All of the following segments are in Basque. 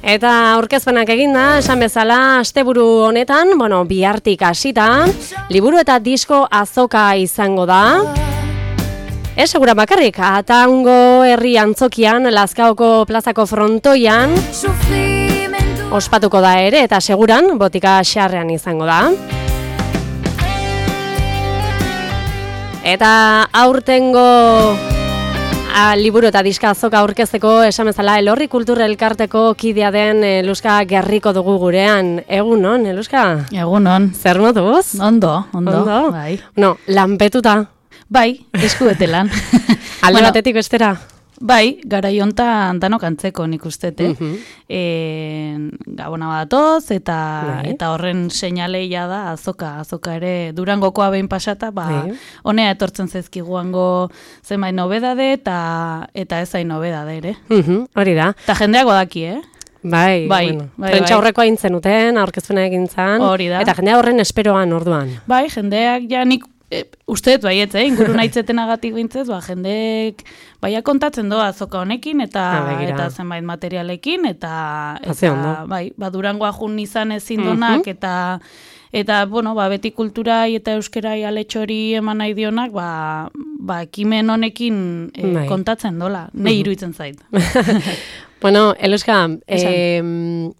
Eta aurkezpenak eginda, esan bezala, asteburu honetan, bihartik hasita, liburu eta disko azoka izango da. Segura bakarrik, Atango herri antzokian, Lazkaoko plazako frontoian, ospatuko da ere, eta seguran, botika xarrean izango da. Eta aurtengo liburu eta diska azoka aurkezteko esan bezala Elorri Kultur Elkarteko kidea den Eluska Gerriko dugu gurean. Egunon, Eluska? Egunon. Zer moduz? Ondo. Bai. Lanpetuta. Bai, eskuete lan. Alde batetik bestera? Bai, garai hontan danok antzeko nik ustete. Gabona badatoz eta horren seinaleia da azoka ere Durangokoa behin pasata, honea etortzen zaizkiguango zenbait nobedade eta ez hain nobedade ere. Hori da. Eta jendeak badaki, Bai. Prentsa horreko aintzen uten, aurkezpena egin zan. Hori da. Eta jendea horren esperoan orduan. Bai, jendeak ja nik usteet baiet, inguru naitzetenagatik bintzez, jendeek baia kontatzen doa azoka honekin eta zenbait materialekin eta Durangoa jun izan ezin donak eta beti kulturai eta euskerai aletxori eman nahi dionak, ekimen honekin kontatzen dola, nahi iruditzen zait. Eluska,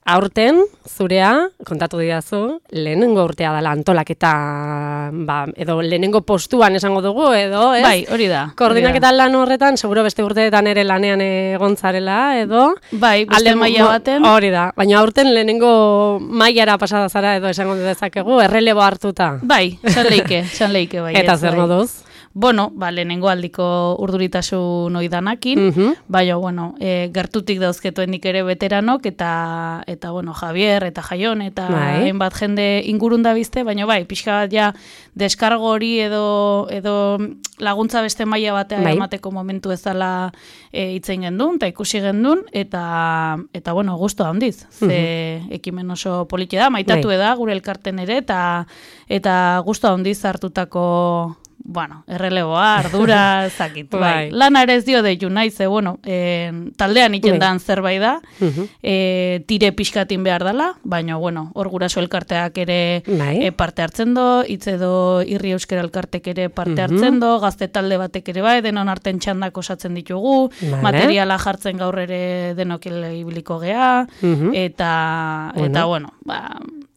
aurten zurea, kontatu didazu, lehenengo urtea dela antolaketa, edo lehenengo postuan esango dugu, edo, ez? Bai, hori da. Koordinaketa lan horretan, seguro beste urteetan ere lanean egontzarela, edo? Bai, beste maila baten. Hori da, baina aurten lehenengo mailara pasada zara, edo esango dezakegu, errelebo hartuta. Bai, esan leike bai. Eta zer moduz? Lehenengo aldiko urduritasun oidanakin, gertutik dauzketuen nik ere veteranok, eta Javier, eta Jaion, eta hainbat jende ingurun da bizte, baina pixka bat ja deskargo hori edo laguntza beste maila batea emateko momentu ezala hitzein gendun, eta ikusi gendun, eta gustu handiz, ze ekimen oso politia da, maitatu da gure elkarten ere, eta gustu handiz hartutako erreleboa, ardura, zakit. Lana ere ez dio deitu nahi, ze, taldean itendan zerbait da, tire pixkatin behar dela, baina, hor guraso elkarteak ere parte hartzen do, hitz edo irri euskera elkartek ere parte hartzen do, gazte talde batek ere bai, denon arten txandak osatzen ditugu, materiala jartzen gaur ere denok ibiliko gea, eta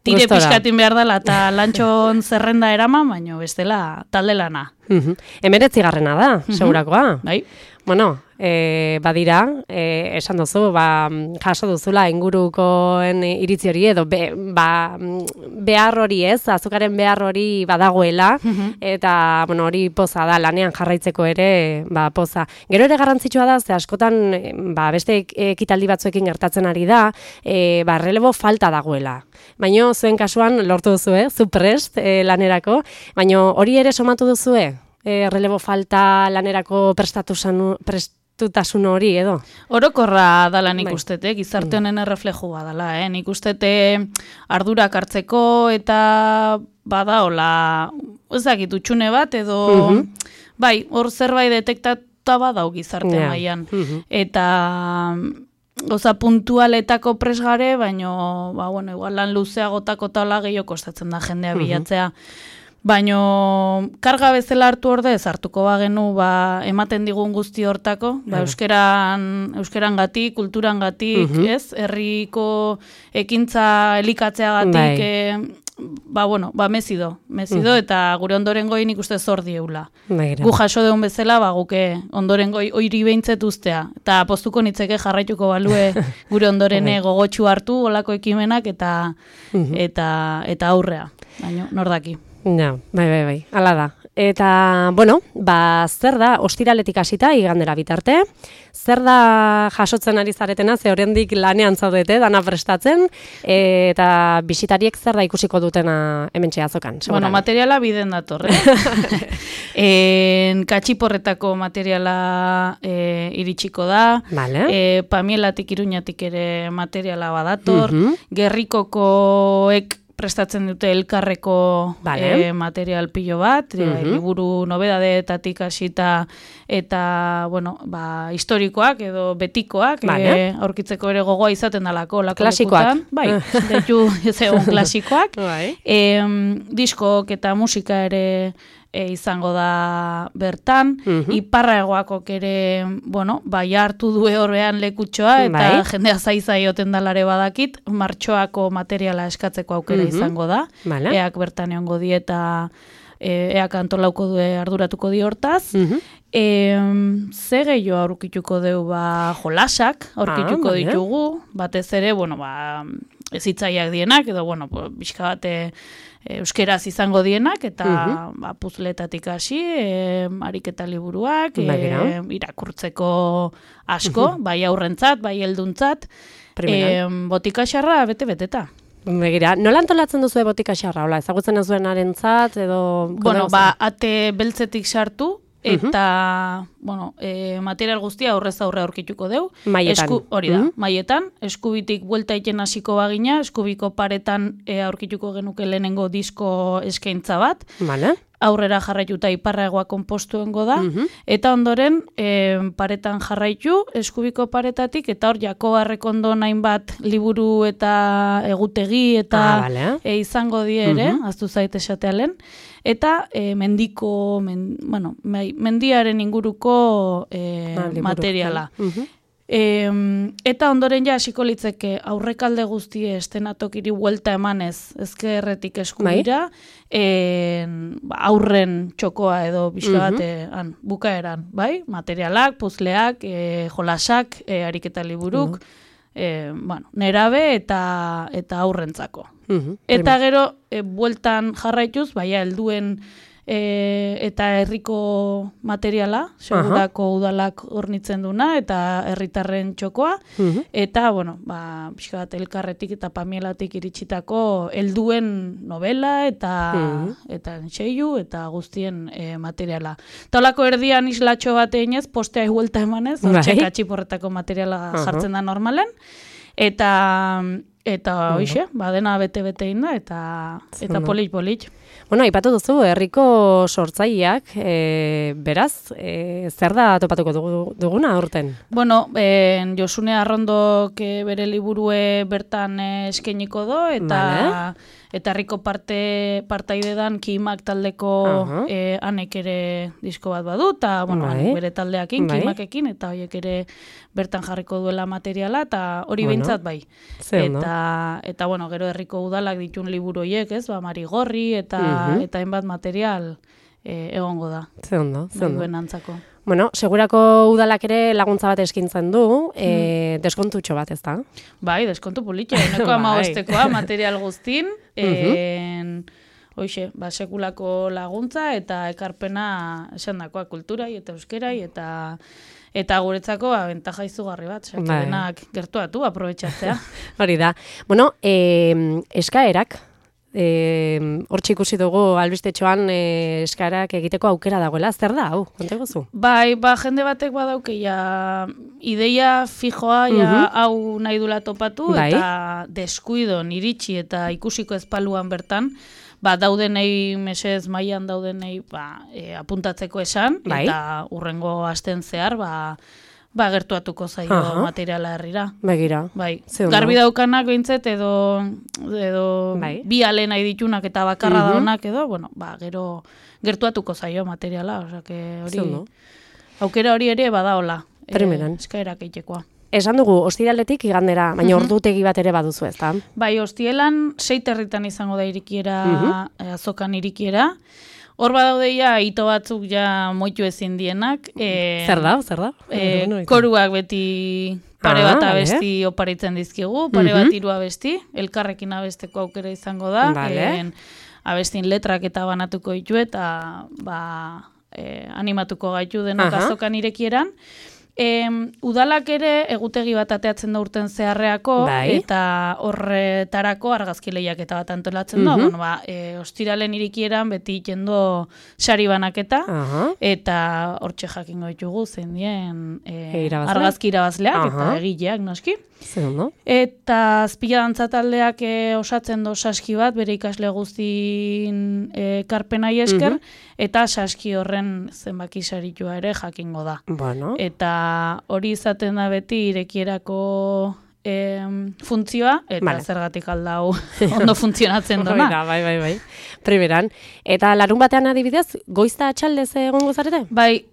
tire pixkatin behar dela eta lantxon zerrenda eraman, baina bestela talde lana. 19. da, segurakoa. Bai. Badira, esan duzu, jaso duzula ingurukoen iritzi hori edo behar hori ez, azukaren behar hori badagoela, eta hori poza da, lanean jarraitzeko ere poza. Gero ere garrantzitsua da, ze askotan beste ekitaldi batzuekin gertatzen ari da, errelebo falta dagoela. Baina zuen kasuan lortu duzu, zu prest lanerako, baina hori ere somatu duzu, errelebo falta lanerako prestatutasun hori, edo? Orokorra dala nik ustete, gizarte honen erreflejua dala, nik ustete ardurak hartzeko eta badaola, ezakit, utxune bat, edo, hor zerbait detektata badau gizarte mailan. Eta goza puntualetako presgare, baina, igual lan luzeagotako tala gehiago kostatzen da jendea bilatzea. Baina karga bezala hartu ordez, hartuko bagenu ematen digun guzti hortako, euskeran gatik, kulturan gatik, ez? Herriko ekintza elikatzeagatik, mezido, eta gure ondorengoi nik uste zor dieula. Gu jaso deun bezala, guke ondorengoi oiri behintzet ustea, eta postuko nitzeke jarraituko balue gure ondorene gogotxu hartu, olako ekimenak, eta aurrea, baina nordaki. Bai, ala da. Eta, zer da, ostiraletik hasita, igandera bitarte, zer da jasotzen ari zaretena, ze oraindik lanean zaudete, dana prestatzen, eta bisitariek zer da ikusiko dutena hementxe azokan? Materiala biden dator, Katxiporretako materiala iritsiko da, Pamielatik, Iruñatik ere materiala badator, Gerrikokoek prestatzen dute elkarreko material pilo bat, liburu nobedadeetatik hasita eta, bueno, historikoak edo betikoak, aurkitzeko ere gogoa izaten dalako. Klasikoak. Bai, detu egon klasikoak. Diskok eta musika ere izango da bertan, iparragoakok ere, bueno, hartu due horrean lekutxoa, eta jendea zaioten dalare badakit, martxoako materiala eskatzeko aukera izango da, eak bertan egongo die eta eak antolauko due arduratuko di hortaz. Ze gehiago aurkituko deu jolasak, aurkituko ditugu, batez ere, bueno, ezitzaiak dienak, edo, bueno, bizka bate euskeraz izango dienak, eta puzletatik hasi, ariketa liburuak, irakurtzeko asko, bai aurrentzat, bai helduntzat, botika xarra bete-beteta. Begira, nola antolatzen duzu botika xarra, ezagutzen ez duenarentzat, edo... Bueno, ate beltzetik sartu, eta, bueno, material guztia aurrez aurre aurkituko deu. Maietan. Hori da, maietan. Eskubitik buelta iten hasiko bagina, eskubiko paretan aurkituko genuke lehenengo disko eskaintza bat. Vale. Aurrera jarraituta iparragoa konpostuengo da, eta ondoren paretan jarraitu, eskubiko paretatik, eta hor Jakobarrek ondo hainbat liburu eta egutegi eta izango die ere, aztu zait esatealen, eta mendiaren inguruko materiala. Eta ondoren ja hasiko litzeke aurrekalde guztie estenatokiri buelta emanez ezkerretik eskubira, aurren txokoa edo bizka bat bukaeran, bai? Materialak, puzleak, jolasak, ariketa liburuk, nerabe eta aurrentzako. Eta gero, bueltan jarraituz, helduen eta herriko materiala, segurako udalak hornitzen duna, eta herritarren txokoa, eta, bueno, pixka bat elkarretik eta pamielatik iritsitako helduen novela, eta entseiu, eta guztien materiala. Eta holako erdian islatxo bat eginez, postea huelta emanez, hortxek atxiporretako materiala jartzen da normalen, eta hoxe, dena bete-bete inda, eta polit-polit. Bueno, aipatu duzu, herriko sortzaileak, beraz, zer da topatuko duguna aurten? Bueno, Josune Arrondok bere liburue bertan eskainiko do, eta herriko partaide dan Kimak taldeko hanek ere disko bat badu, eta bere taldeakin, Kimakekin, eta horiek ere bertan jarriko duela materiala, eta hori behintzat bai. Eta, bueno, gero herriko udalak ditun liburu horiek, ez, Marigorri, eta hainbat material egongo da. Ze ondo. Duen antzako. Bueno, segurako udalak ere laguntza bat eskintzen du, deskontutxo bat, ez da? Bai, deskontu politxe, eneko 15koa material guztin, hoxe, sekulako laguntza eta ekarpena esandakoa kulturai eta euskerai eta guretzako bentaja izugarri bat, denak gertuatu, aprobetxatzea. Hori da. Bueno, eskaerak, hortxe ikusi dugu albistetxoan eskaerak egiteko aukera dagoela, zer da, hau, kontegozu? Bai, jende batek badauke, ideia fijoa, hau nahi dula topatu, eta deskuidon iritsi eta ikusiko ezpaluan bertan, daudenei, mesez mailan daudenei apuntatzeko esan, eta urrengo asten zehar, gertuatuko zaio materiala herrira. Begira. Bai. Garbi daukanak behintzet edo bi ale nahi ditunak eta bakarra daunak edo, gero gertuatuko zaio materiala, hori aukera hori ere badaola. Eskaerak egitekoa. Esan dugu, ostiraletik igandera, baina ordutegi bat ere baduzu, ez da? Bai, ostielan 6 herritan izango da irikiera, azokan irikiera. Hor badaudeia, ito batzuk ja moitu ezin dienak. Zer da? Koruak beti pare bat abesti oparitzen dizkigu, pare bat 3 abesti, elkarrekin abesteko aukera izango da. Abestin letrak eta banatuko ditu eta animatuko gaitu denok azokan irekieran. Udalak ere egutegi bat ateatzen da urten zeharreako, eta horretarako argazki lehiaketa bat antolatzen da. Bueno, ostiralen irikieran beti jendo sari banaketa, eta hortxe jakingo ditugu zein dien argazki irabazleak eta egileak noski. Eta azpila dantza taldeak osatzen do saski bat, bere ikasle guztin karpenai esker, eta saski horren zenbaki saritua ere jakingo da. Eta hori izaten da beti irekierako funtzioa, eta zergatik aldau ondo funtzionatzen dona. Bai. Primeran. Eta larun batean adibidez, goizta atxaldez egongo zarete? Bai,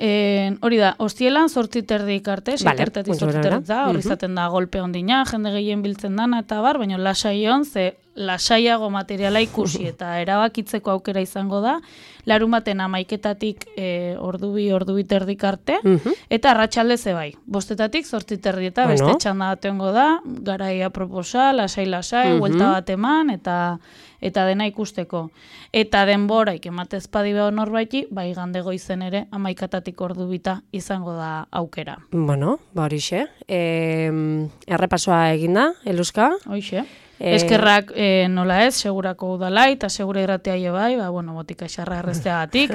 hori da, ostielan 8:30 arte, 7:00 8:30 hori izaten da golpe ondina, jende gehien biltzen dana, eta bar, baina lasai on, ze lasaiago materiala ikusi eta erabakitzeko aukera izango da, larun baten 11:00 ordu terdik arte, eta arratsalde ze bai, 5:00 8:30 eta beste txanda batengo da, garaia proposa, lasai, huelta bat eman, eta dena ikusteko. Eta denbora ikematez padibeo norbaiti, bai igande goizen ere 11:00 ordu bita izango da aukera. Bueno, horixe. Errepasoa eginda, Eluska? Hoixe. Eskerrak nola ez, segurako udalai, eta segura irratea bai, botika xarra errezteagatik,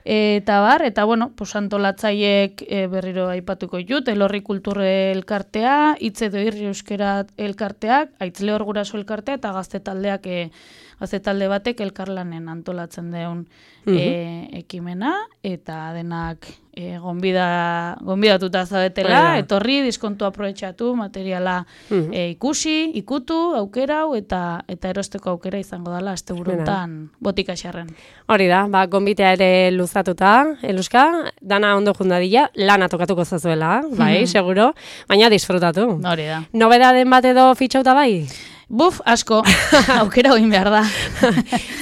eta bueno, antolatzaiek berriro aipatuko ditut, Elorri Kulturre elkartea, Hitz edo Irri Euskera elkarteak, Aitzleor Guraso elkartea, eta gazte talde batek elkarlanen antolatzen deun ekimena, eta denak gonbidatuta zaudetela, etorri, diskontu aprobetxatu, materiala ikusi, ikutu, aukerau, eta erosteko aukera izango dela asteburuntan botika xarren. Hori da, gonbitea ere luzatuta, Eluska, dana ondo jundadila, lana tokatuko zazuela, bai, seguro, baina disfrutatu. Hori da. Nobedaden bat edo fitxauta bai? Buf, asko, aukera egin behar da.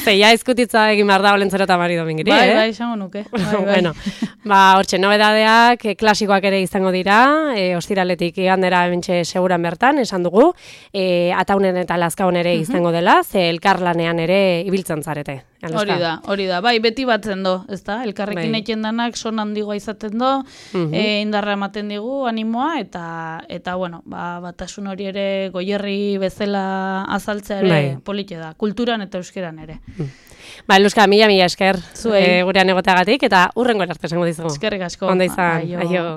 Zeia izkutitza egin behar da Olentzero eta Mari Domingiri, Bai, esango nuke. Bueno, hortxe, nobedadeak klasikoak ere izango dira, ostiraletik igandera bentxe seguran bertan, esan dugu, Ataunen eta Lazkaon ere izango dela, ze elkarlanean ere ibiltzen zarete. Hori da, bai, beti batzen do, ezta? Elkarrekin eken danak son handigoa izaten do, indarra ematen digu, animoa, eta bueno, batasun hori ere goierri bezala azaltzea ere polite da, kulturan eta euskeran ere. Eluska, mila esker gurean egoteagatik, eta hurrengo arte esango dizugu. Eskerrik asko. Ondo izan, aio.